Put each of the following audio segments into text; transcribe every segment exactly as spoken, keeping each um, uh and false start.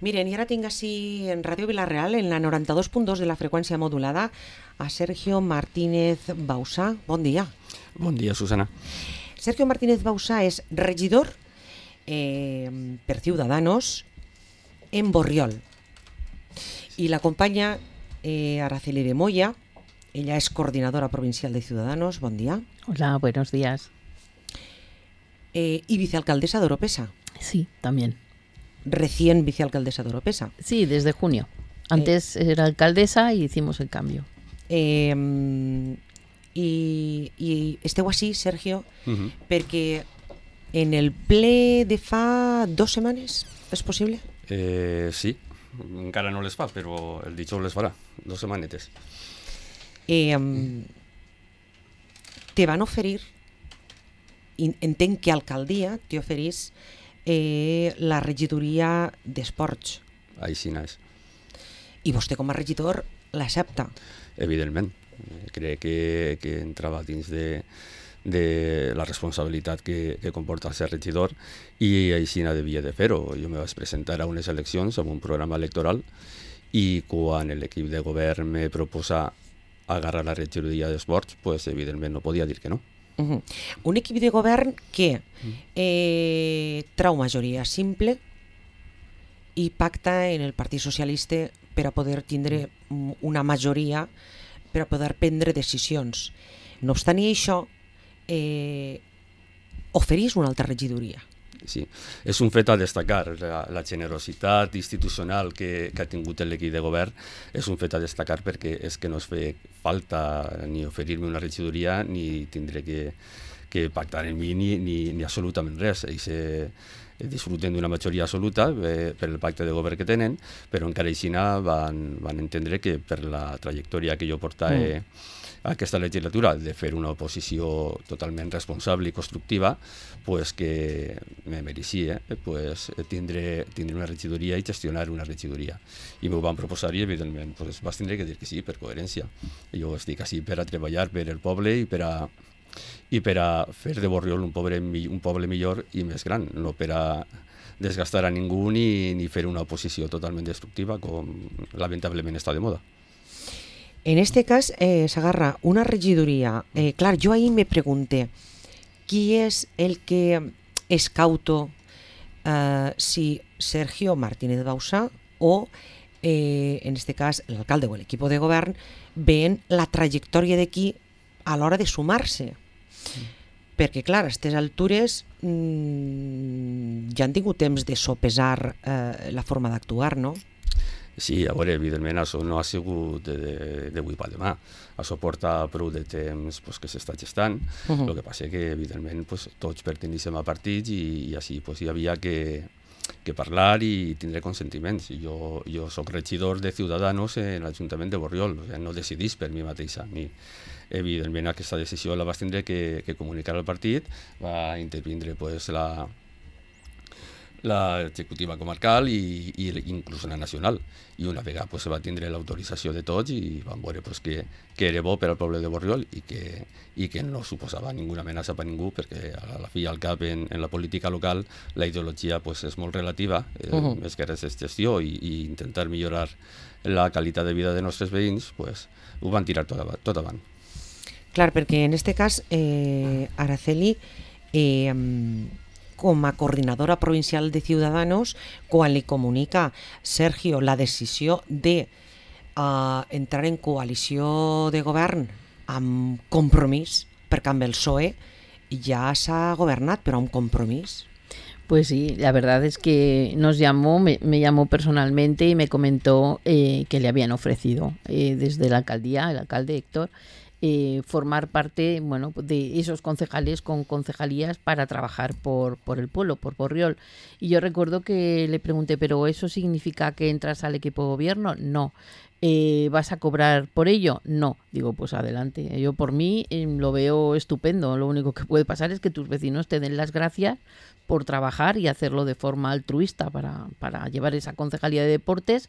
Miren, i ara tinc així en Ràdio Vila-real, en la noranta-dos punt dos de la freqüència modulada, a Sergio Martínez Bausà. Bon dia. Bon dia, Susana. Sergio Martínez Bausà és regidor eh, per Ciudadanos en Borriol. I l'acompanya eh, Araceli de Moya. Ella es coordinadora provincial de Ciudadanos. Bon dia. Hola, buenos días. Eh, y vicealcaldesa de Oropesa. Sí, también. Recién vicealcaldesa de Oropesa. Sí, desde junio. Antes eh, era alcaldesa y hicimos el cambio. Eh, i, I esteu així, Sergio, uh-huh. perquè en el ple de fa dues setmanes, és possible? Eh, sí, encara no les fa, però el dijous les farà, dues setmanetes. Eh, te van oferir, entenc que alcaldia te oferís eh, la regidoria d'esports. Així és. I vostè com a regidor l'accepta? Evidentment. Crec que, que entrava dins de, de la responsabilitat que, que comporta ser regidor i així devia de fer-ho. Jo me vaig presentar a unes eleccions amb un programa electoral i quan l'equip de govern me proposa agarrar la regidoria d'esports, pues, evidentment no podia dir que no. Uh-huh. Un equip de govern que eh, trau majoria simple i pacta en el Partit Socialista per a poder tindre una majoria per a poder prendre decisions. No obstant això, eh, oferís una altra regidoria. Sí, és un fet a destacar. La, la generositat institucional que, que ha tingut l'equip de govern és un fet a destacar perquè és que no es fa falta ni oferir-me una regidoria ni tindré que, que pactar amb mi ni, ni, ni absolutament res. Ells eh, disfruten d'una majoria absoluta eh, per el pacte de govern que tenen, però encara així van, van entendre que per la trajectòria que jo portava mm. aquesta legislatura de fer una oposició totalment responsable i constructiva, pues que me mereixia pues, tindre, tindre una regidoria i gestionar una regidoria. I m'ho van proposar i, evidentment, pues, vas tindre que dir que sí, per coherència. Jo estic així per a treballar per el poble i per a, i per a fer de Borriol un poble, un poble millor i més gran, no per a desgastar a ningú ni, ni fer una oposició totalment destructiva, com lamentablement està de moda. En este cas, eh, s'agarra una regidoria. Eh, clar, jo ahir me pregunté qui és el que és cauto, eh, si Sergio Martínez Bausà o, eh, en este cas, l'alcalde o l'equip de govern ven la trajectòria d'aquí a l'hora de sumar-se. Mm. Perquè, clar, a aquestes altures mmm, ja han tingut temps de sopesar eh, la forma d'actuar, no? Sí, a veure, evidentment això no ha sigut d'avui per demà. Això porta prou de temps pues, que s'està gestant. Uh-huh. El que passa que, evidentment, pues, tots perteníssim a partits i, i així pues, hi havia que, que parlar i tindre consentiments. Jo, jo soc regidor de Ciudadanos en l'Ajuntament de Borriol, o sigui, no decidís per mi mateixa. Ni, evidentment, aquesta decisió la vas tindre que, que comunicar al partit, va intervindre pues, la... l'executiva comarcal i, i inclús la nacional. I una vegada pues, se va tindre l'autorització de tots i vam veure pues, que, que era bo per al poble de Borriol i que, i que no suposava ninguna amenaça per a ningú, perquè a la fi i al cap en, en la política local la ideologia pues, és molt relativa, eh, uh-huh. més que res és gestió i, i intentar millorar la qualitat de vida de nostres veïns, pues, ho van tirar tot, tot avant. Clar, perquè en este cas, eh, Araceli, eh, com a coordinadora provincial de Ciudadanos, quan li comunica Sergio la decisió de uh, entrar en coalició de govern amb compromís, perquè amb el P S O E ja s'ha governat, però amb compromís. Pues sí, la verdad es que nos llamó, me, me llamó personalmente y me comentó eh, que le habían ofrecido eh, desde la alcaldía, el alcalde Héctor, Eh, formar parte, bueno, de esos concejales con concejalías para trabajar por, por el pueblo, por Borriol. Y yo recuerdo que le pregunté, ¿pero eso significa que entras al equipo de gobierno? No. Eh, ¿Vas a cobrar por ello? No. Digo, pues adelante. Yo por mí eh, lo veo estupendo. Lo único que puede pasar es que tus vecinos te den las gracias por trabajar y hacerlo de forma altruista para, para llevar esa concejalía de deportes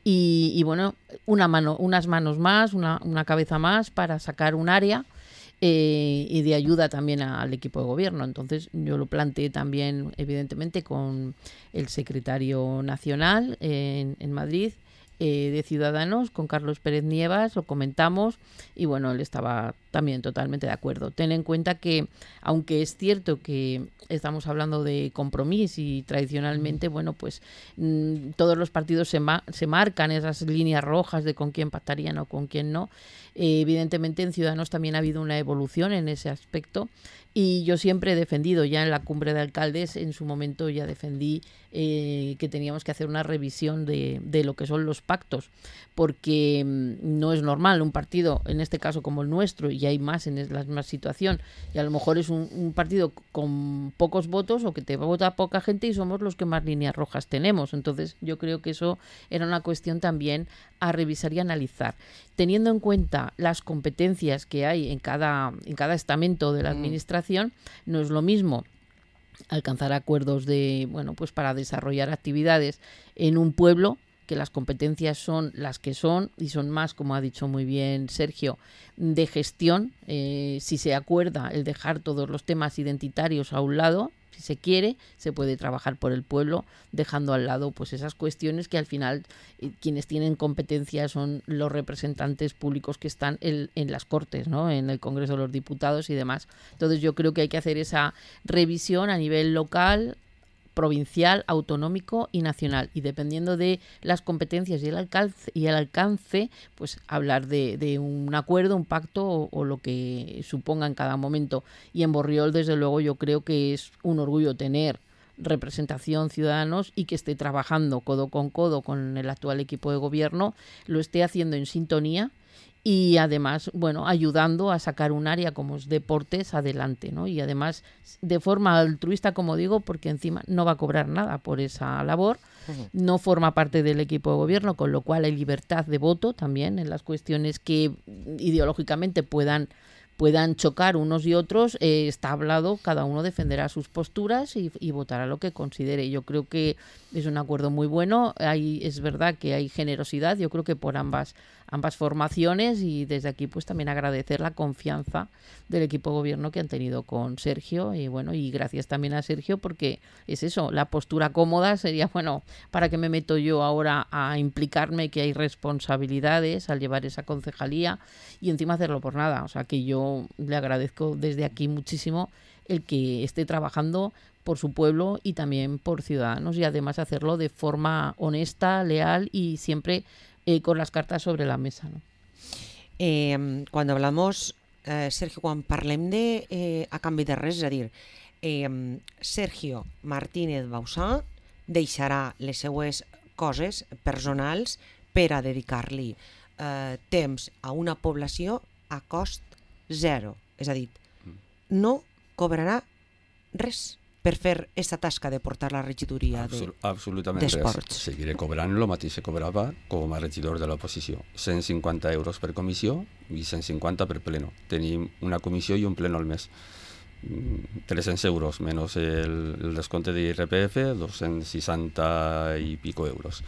y, y bueno, una mano, unas manos más, una, una cabeza más para sacar un área eh, y de ayuda también al equipo de gobierno. Entonces yo lo planteé también, evidentemente, con el secretario nacional en, en Madrid, Eh, de Ciudadanos, con Carlos Pérez Nievas, lo comentamos y bueno, él estaba también totalmente de acuerdo. Ten en cuenta que, aunque es cierto que estamos hablando de Compromís y tradicionalmente, bueno, pues mmm, todos los partidos se, ma se marcan esas líneas rojas de con quién pactarían o con quién no, eh, evidentemente en Ciudadanos también ha habido una evolución en ese aspecto. Y yo siempre he defendido, ya en la cumbre de alcaldes, en su momento ya defendí eh, que teníamos que hacer una revisión de, de lo que son los pactos, porque mmm, no es normal un partido, en este caso como el nuestro, y hay más en la misma situación, y a lo mejor es un, un partido con pocos votos o que te vota poca gente y somos los que más líneas rojas tenemos. Entonces yo creo que eso era una cuestión también a revisar y analizar, teniendo en cuenta las competencias que hay en cada, en cada estamento de la administración. No es lo mismo alcanzar acuerdos de, bueno, pues para desarrollar actividades en un pueblo, que las competencias son las que son y son más, como ha dicho muy bien Sergio, de gestión. Eh, si se acuerda el dejar todos los temas identitarios a un lado, si se quiere, se puede trabajar por el pueblo, dejando al lado pues esas cuestiones que al final eh, quienes tienen competencia son los representantes públicos que están en, en las Cortes, ¿no? En el Congreso de los Diputados y demás. Entonces yo creo que hay que hacer esa revisión a nivel local, provincial, autonómico y nacional, y dependiendo de las competencias y el alcance, y el alcance pues hablar de, de un acuerdo, un pacto o, o lo que suponga en cada momento. Y en Borriol, desde luego, yo creo que es un orgullo tener representación Ciudadanos y que esté trabajando codo con codo con el actual equipo de gobierno, lo esté haciendo en sintonía y además, bueno, ayudando a sacar un área como es deportes adelante, ¿no? Y además de forma altruista, como digo, porque encima no va a cobrar nada por esa labor, uh-huh. No forma parte del equipo de gobierno, con lo cual hay libertad de voto también en las cuestiones que ideológicamente puedan puedan chocar unos y otros, eh, está hablado, cada uno defenderá sus posturas y, y votará lo que considere. Yo creo que es un acuerdo muy bueno. Hay, es verdad que hay generosidad, yo creo que por ambas ambas formaciones, y desde aquí pues también agradecer la confianza del equipo de gobierno que han tenido con Sergio, y bueno, y gracias también a Sergio, porque es eso, la postura cómoda sería, bueno, ¿para qué me meto yo ahora a implicarme que hay responsabilidades al llevar esa concejalía y encima hacerlo por nada? O sea que yo le agradezco desde aquí muchísimo el que esté trabajando por su pueblo y también por Ciudadanos, y además hacerlo de forma honesta, leal y siempre eh, con las cartas sobre la mesa, ¿no? Eh, cuando hablamos, eh, Sergio, quan parlem de eh, a canvi de res, és a dir, eh, Sergio Martínez Bauzá deixarà les seues coses personals per a dedicar-li eh, temps a una població a cost zero. És a dir, no cobrarà res per fer aquesta tasca de portar la regidoria de, Absolutament d'esports. Res. Seguiré cobrant el mateix que cobrava com a regidor de l'oposició. cent cinquanta euros per comissió i cent cinquanta per pleno. Tenim una comissió i un pleno al mes. tres-cents euros menys el, el descompte d'I R P F, dos-cents seixanta i pico euros.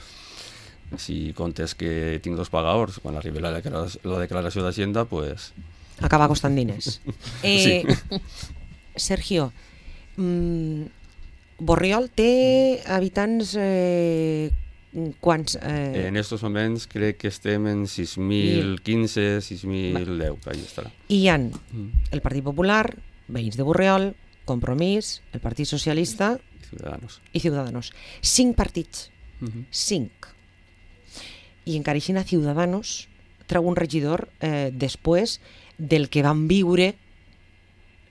Si comptes que tinc dos pagadors, quan arribi la declaració, la declaració d'Hacienda, pues... acaba costant diners. Eh, sí. Sergio, mm, Borriol té habitants eh, quants? Eh... En estos moments crec que estem en sis mil quinze, sis mil deu, ahí estarà. I hi ha el Partit Popular, veïns de Borriol, Compromís, el Partit Socialista i Ciudadanos. I Ciudadanos. Cinc partits. Uh-huh. Cinc. I encara així a Ciudadanos treu un regidor eh, després del que van viure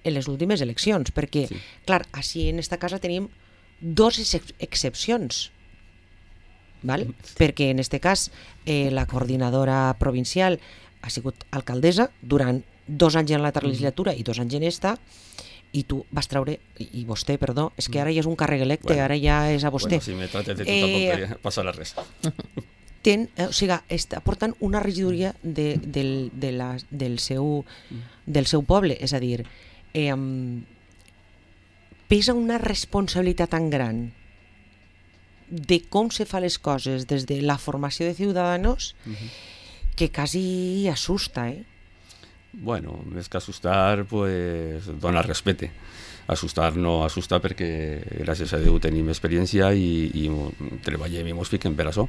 en les últimes eleccions, perquè, sí. clar, així en esta casa tenim dos ex excepcions, val? Sí. Perquè en este cas eh, la coordinadora provincial ha sigut alcaldessa durant dos anys en l'altra legislatura i dos anys en esta, i tu vas treure, i vostè, perdó, és que ara ja és un càrrec electe, bueno, ara ja és a vostè. Bueno, si me trates de tu eh, tampoc passarà res. Ten, o sigui, està portant una regidoria de, del, de la, del, seu, del seu poble, és a dir, eh, pesa una responsabilitat tan gran de com se fa les coses des de la formació de Ciudadanos uh-huh. que quasi assusta, eh? Bueno, més que assustar, pues, donar respecte. Assustar no assusta perquè, gràcies a Déu, tenim experiència i, i treballem i ens fiquem per això,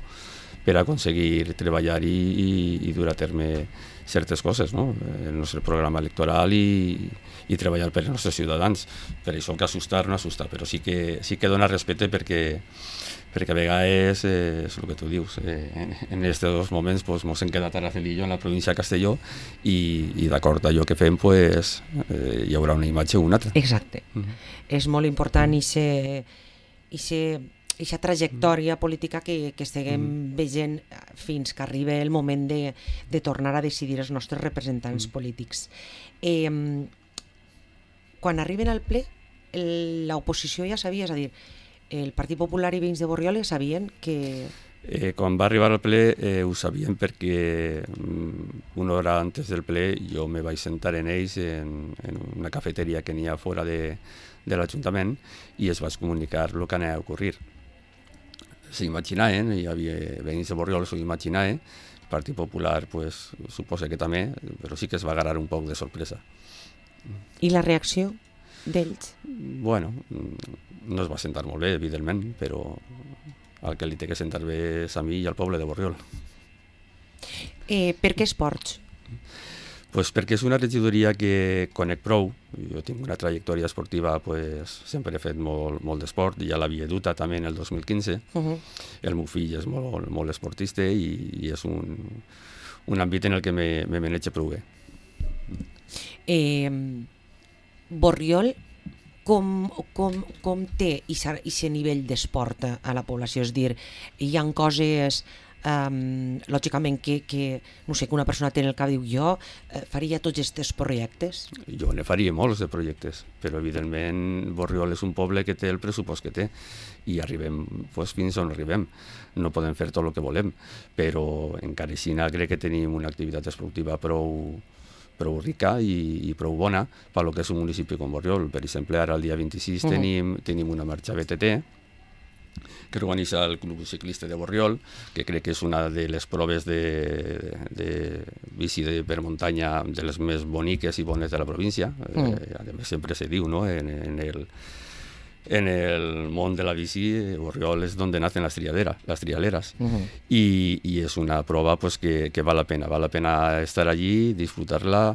per aconseguir treballar i, i, i dur a terme certes coses, no? El nostre programa electoral i, i treballar per als nostres ciutadans. Per això que assustar no assusta, però sí que, sí que dona respecte perquè perquè a vegades eh, és el que tu dius, eh, en aquests dos moments pues, mos hem quedat a Rafelillo, en la província de Castelló, i, i d'acord a allò que fem pues, eh, hi haurà una imatge o una altra. Exacte. Uh-huh. És molt important aquesta trajectòria política que, que estiguem uh-huh. veient fins que arribi el moment de, de tornar a decidir els nostres representants uh-huh. polítics. Eh, quan arriben al ple, l'oposició ja sabia, és a dir, el Partit Popular i Veïns de Borriol sabien que... Eh, quan va arribar al ple eh, ho sabien perquè mm, una hora antes del ple jo me vaig sentar en ells en, en una cafeteria que n'hi ha fora de, de l'Ajuntament i es vaig comunicar el que anava a ocorrir. S'imaginaven, hi havia Veïns de Borriol, s'ho imaginaven, el Partit Popular pues, suposa que també, però sí que es va agarrar un poc de sorpresa. I la reacció d'ells? Bueno, no es va sentar molt bé, evidentment, però el que li té que sentar bé és a mi i al poble de Borriol. Eh, per què esports? Pues perquè és una regidoria que conec prou. Jo tinc una trajectòria esportiva, pues, sempre he fet molt, molt d'esport, ja l'havia dut també en el dos mil quinze. Uh-huh. El meu fill és molt, molt esportista i, i és un, un àmbit en el que me, me manejo prou bé. Eh, Borriol com, com, com té aquest nivell d'esport a la població? És dir, hi ha coses, um, lògicament, que, que, no sé, que una persona té en el cap i diu jo eh, faria tots aquests projectes? Jo ne faria molts de projectes, però evidentment Borriol és un poble que té el pressupost que té i arribem pues, fins on arribem. No podem fer tot el que volem, però encara així crec que tenim una activitat esportiva prou prou rica i, i prou bona per lo que és un municipi com Borriol. Per exemple, ara el dia vint-i-sis uh-huh. tenim, tenim una marxa B T T que organitza el Club Ciclista de Borriol, que crec que és una de les proves de, de, de bici de, per muntanya de les més boniques i bones de la província. Uh-huh. Eh, a més, sempre se diu, no?, en, en el en el món de la bici, Borriol és on nacen les, triadera, les trialeres. Uh-huh. I, i és una prova pues, que, que val la pena. Val la pena estar allí, disfrutar-la,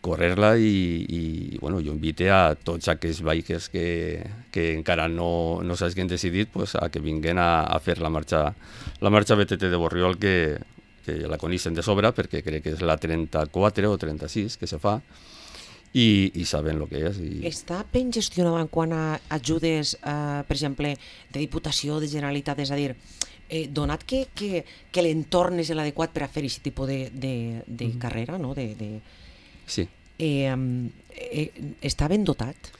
correr-la i, i bueno, jo invite a tots aquells bikers que, que encara no, no s'hagin decidit pues, a que vinguin a, a fer la marxa, la marxa B T T de Borriol, que, que la coneixen de sobre perquè crec que és la trenta-quatre o trenta-sis que se fa. I, i saben el que és. I... Està ben gestionat en quant a ajudes, eh, per exemple, de Diputació, de Generalitat, és a dir, eh, donat que, que, que l'entorn és l'adequat per a fer aquest tipus de, de, de mm. carrera, no? De, de... Sí. Eh, eh, està ben dotat?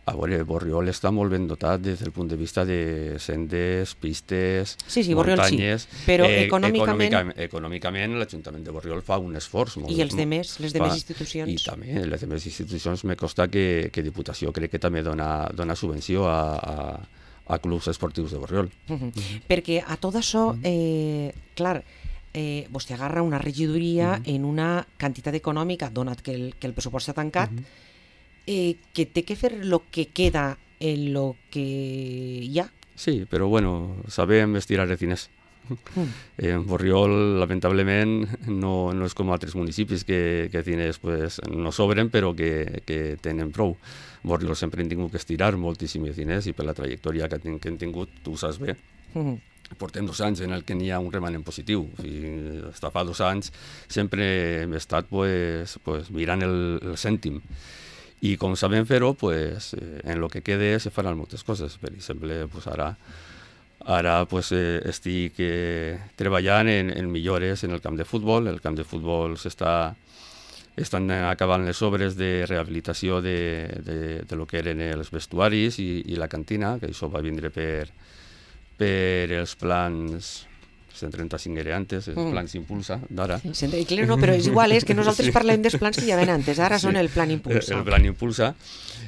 A veure, Borriol està molt ben dotat des del punt de vista de sendes, pistes, sí, sí, muntanyes. Sí. Però eh, econòmicament... econòmicament... Econòmicament l'Ajuntament de Borriol fa un esforç. Molt, I els demés, les demés institucions? I també, les demés institucions me costa que, que Diputació crec que també dona, dona subvenció a, a, a clubs esportius de Borriol. Uh -huh. Uh -huh. Perquè a tot això, eh, clar, eh, vostè agarra una regidoria uh -huh. en una quantitat econòmica, donat que el, que el pressupost està tancat, uh -huh. Eh, que té que fer el que queda en lo que hi ha. Sí, però bueno, sabem estirar els diners. Mm. En Borriol, lamentablement, no, no és com altres municipis que, que diners pues, no sobren, però que, que tenen prou. Borriol sempre hem tingut que estirar moltíssims diners i per la trajectòria que, ten, que hem tingut, tu ho saps bé. Mm. Portem dos anys en el que n'hi ha un remanent positiu. O sigui, fins fa dos anys sempre hem estat pues, pues, mirant el, el cèntim. I com sabem fer-ho, pues, en el que quede se faran moltes coses. Per exemple, pues, ara, ara pues, eh, estic eh, treballant en, en millores en el camp de futbol. El camp de futbol s'està estan acabant les obres de rehabilitació de, de, de lo que eren els vestuaris i, i la cantina, que això va vindre per, per els plans... cent trenta-cinc era antes, els mm. plans Impulsa d'ara. Sí, no, però és igual, és que nosaltres sí. parlem dels plans que ja ven antes, ara sí. són el plan Impulsa. El, el plan Impulsa,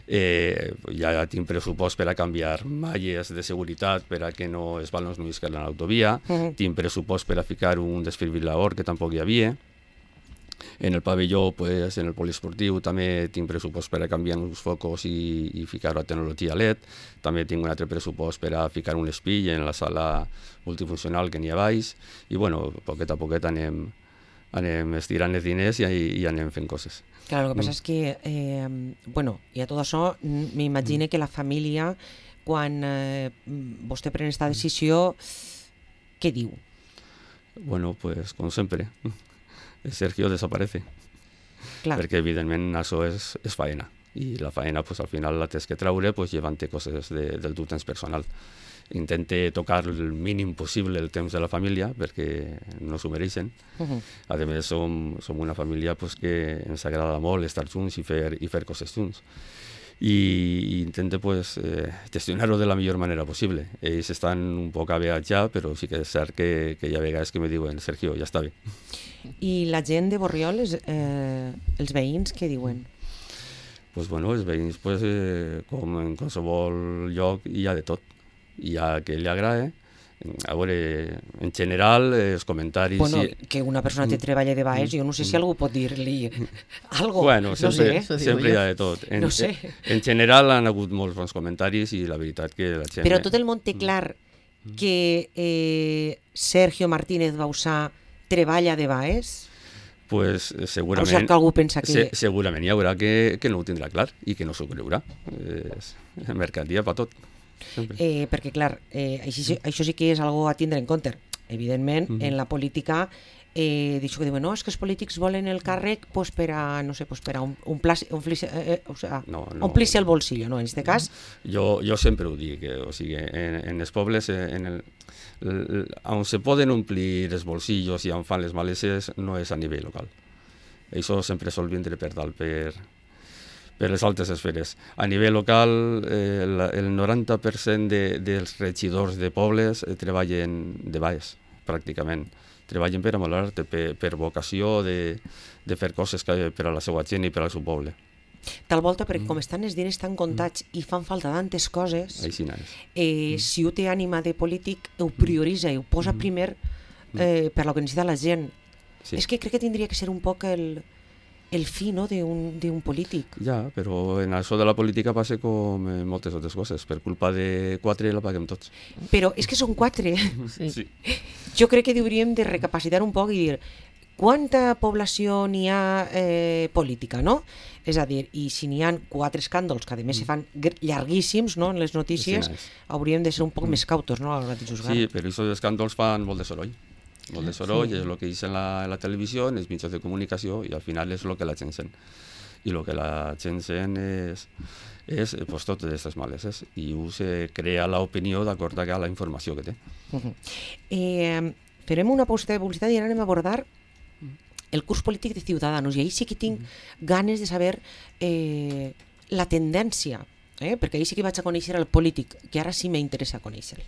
eh, ja tinc pressupost per a canviar malles de seguretat per a que no els balons no isquen a l'autovia, mm. tinc pressupost per a ficar un desfibrilador que tampoc hi havia, En el pavelló, pues, en el poliesportiu, també tinc pressupost per a canviar uns focus i, i ficar a tecnologia L E D. També tinc un altre pressupost per a ficar un espill en la sala multifuncional que n'hi ha baix. I, bueno, poquet a poquet anem, anem estirant els diners i, i anem fent coses. Claro, lo que pasa mm. es que, eh, bueno, y a todo això, m'imagine mm. que la família, quan eh, vostè pren esta decisió, què diu? Bueno, pues, com sempre, Sergio desaparece. Clar. Perquè, evidentment, això és, és faena. I la faena, pues, al final, la tens que treure, pues, llevant-te coses de, del teu temps personal. Intente tocar el mínim possible el temps de la família, perquè no s'ho mereixen. Uh-huh. A més, som, som una família pues, que ens agrada molt estar junts i fer, i fer coses junts. I, i intente pues, eh, gestionar-ho de la millor manera possible. Ells estan un poc aveats ja, però sí que és cert que, que hi ha vegades que me diuen Sergio, ja està bé. I la gent de Borriol, eh, els veïns, què diuen? Pues, bueno, els veïns, pues, eh, com en qualsevol lloc, hi ha de tot. Hi ha que li agrada. A veure, en general, els comentaris... Bueno, sí. que una persona te treballa de baix, jo no sé si algú pot dir-li algo. Bueno, sempre, no sé. sempre hi ha de tot. En, no sé. En general han hagut molts bons comentaris i la veritat que la gent... Però tot el món té clar que eh, Sergio Martínez Bausà treballa de baix? Pues segurament... O sigui que algú pensa que... Se, segurament hi haurà que, que no ho tindrà clar i que no s'ho creurà. És mercadia per tot. Eh, perquè, clar, eh, això, això sí que és algo a tindre en compte. Evidentment, mm-hmm. en la política, eh, d'això que diuen, no, és que els polítics volen el càrrec pues, per a, no sé, pues, per a un, un pla, un flis, eh, o sea, no, no, omplir-se el bolsillo, no? En aquest cas... Jo, jo sempre ho dic, eh, o sigui, en, en els pobles, en el, el, on se poden omplir els bolsillos i on fan les maleses, no és a nivell local. Això sempre sol vindre per dalt, per... per les altres esferes. A nivell local, eh, el, el noranta per cent de, dels regidors de pobles eh, treballen de baix, pràcticament. Treballen per amolar, per, per vocació de, de fer coses que, per a la seva gent i per al seu poble. Tal volta, perquè mm. com estan els diners tan comptats mm. i fan falta tantes coses, Així eh, mm. si ho té ànima de polític, ho prioritza i ho posa mm. primer eh, per lo que necessita la gent. Sí. És que crec que tindria que ser un poc el... el fi, no?, d'un polític. Ja, però en això de la política passa com en moltes altres coses. Per culpa de quatre la paguem tots. Però és que són quatre. Sí. Sí. Jo crec que hauríem de recapacitar un poc i dir quanta població n'hi ha eh, política, no? És a dir, i si n'hi ha quatre escàndols, que a més se fan llarguíssims, no?, en les notícies, sí, hauríem de ser un poc mm. més cautos, no?, a l'hora de juzgar. Sí, però aquests escàndols fan molt de soroll. Molt de soroll, sí. És el que diuen en la, en la televisió, en els mitjans de comunicació, i al final és el que la gent sent. I el que la gent sent és, és pues, totes aquestes maleses, i se crea l'opinió d'acord a la informació que té. Uh-huh. eh, farem una pausa de publicitat i ara anem a abordar el curs polític de Ciudadanos, i ahí sí que tinc uh-huh. ganes de saber eh, la tendència, eh, perquè ahí sí que vaig a conèixer el polític, que ara sí m'interessa conèixer-lo.